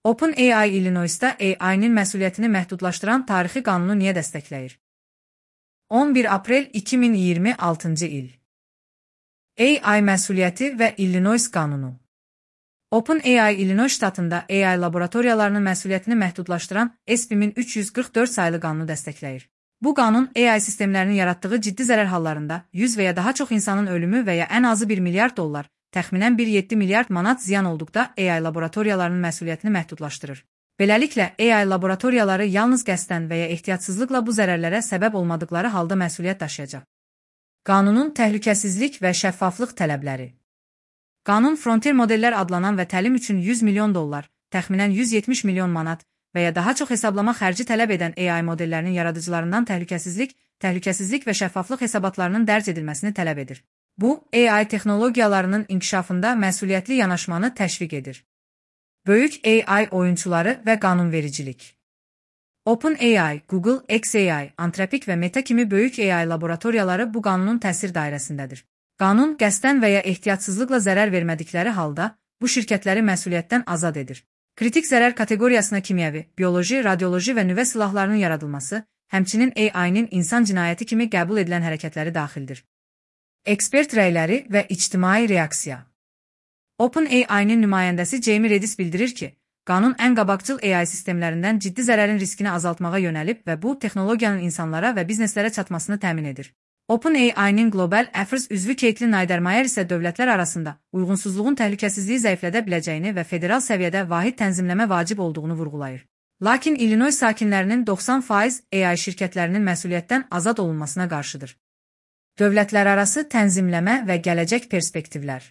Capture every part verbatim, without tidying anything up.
OpenAI Illinois'da A I'nin məsuliyyətini məhdudlaşdıran tarixi qanunu niyə dəstəkləyir? on bir aprel iki min iyirmi altıncı il. A I məsuliyyəti və Illinois qanunu. OpenAI Illinois ştatında A I laboratoriyalarının məsuliyyətini məhdudlaşdıran S B üç yüz qırx dörd saylı qanunu dəstəkləyir. Bu qanun A I sistemlərinin yaratdığı ciddi zərər hallarında yüz və ya daha çox insanın ölümü və ya ən azı bir milyard dollar, təxminən bir nöqtə yeddi milyard manat ziyan olduqda A I laboratoriyalarının məsuliyyətini məhdudlaşdırır. Beləliklə, A I laboratoriyaları yalnız qəsdən və ya ehtiyatsızlıqla bu zərərlərə səbəb olmadıqları halda məsuliyyət daşıyacaq. Qanunun təhlükəsizlik və şəffaflıq tələbləri. Qanun Frontier modellər adlanan və təlim üçün yüz milyon dollar, təxminən yüz yetmiş milyon manat və ya daha çox hesablama xərci tələb edən A I modellərinin yaradıcılarından təhlükəsizlik, təhlükəsizlik və şəffaflıq hesabatlarının dərc edilməsini tələb edir. Bu, A I texnologiyalarının inkişafında məsuliyyətli yanaşmanı təşviq edir. Böyük A I oyunçuları və qanunvericilik. OpenAI, Google, xAI, Anthropic və Meta kimi böyük A I laboratoriyaları bu qanunun təsir dairəsindədir. Qanun qəsdən və ya ehtiyatsızlıqla zərər vermədikləri halda bu şirkətləri məsuliyyətdən azad edir. Kritik zərər kateqoriyasına kimyəvi, bioloji, radioloji və nüvə silahlarının yaradılması, həmçinin A I'nin insan cinayəti kimi qəbul edilən hərəkətləri daxildir. Ekspert rəyləri və ictimai reaksiya. OpenAI-nin nümayəndəsi Jamie Redis bildirir ki, qanun ən qabaqcıl A I sistemlərindən ciddi zərərin riskini azaltmağa yönəlib və bu, texnologiyanın insanlara və bizneslərə çatmasını təmin edir. OpenAI-nin Global Affairs üzvü Caitlin Niedermayer isə dövlətlər arasında uyğunsuzluğun təhlükəsizliyi zəiflədə biləcəyini və federal səviyyədə vahid tənzimləmə vacib olduğunu vurğulayır. Lakin Illinois sakinlərinin doxsan faiz A I şirkətlərinin məsuliyyətdən azad olunmasına qarşıdır. Dövlətlərarası tənzimləmə və gələcək perspektivlər.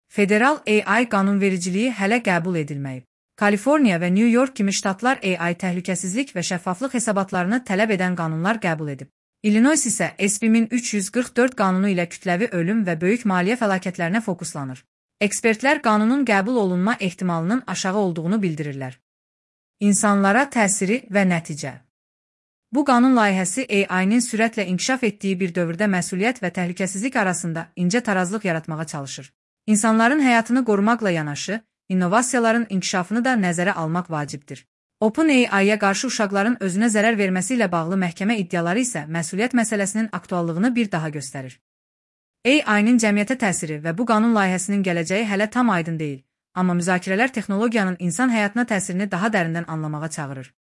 Federal A I qanunvericiliyi hələ qəbul edilməyib. Kaliforniya və New York kimi ştatlar A I təhlükəsizlik və şəffaflıq hesabatlarını tələb edən qanunlar qəbul edib. Illinois isə S B üç yüz qırx dörd qanunu ilə kütləvi ölüm və böyük maliyyə fəlakətlərinə fokuslanır. Ekspertlər qanunun qəbul olunma ehtimalının aşağı olduğunu bildirirlər. İnsanlara təsiri və nəticə. Bu qanun layihəsi A I-nin sürətlə inkişaf etdiyi bir dövrdə məsuliyyət və təhlükəsizlik arasında incə tarazlıq yaratmağa çalışır. İnsanların həyatını qorumaqla yanaşı, innovasiyaların inkişafını da nəzərə almaq vacibdir. OpenAI-yə qarşı uşaqların özünə zərər verməsi ilə bağlı məhkəmə iddiaları isə məsuliyyət məsələsinin aktuallığını bir daha göstərir. A I-nin cəmiyyətə təsiri və bu qanun layihəsinin gələcəyi hələ tam aydın deyil, amma müzakirələr texnologiyanın insan həyatına təsirini daha dərindən anlamağa çağırır.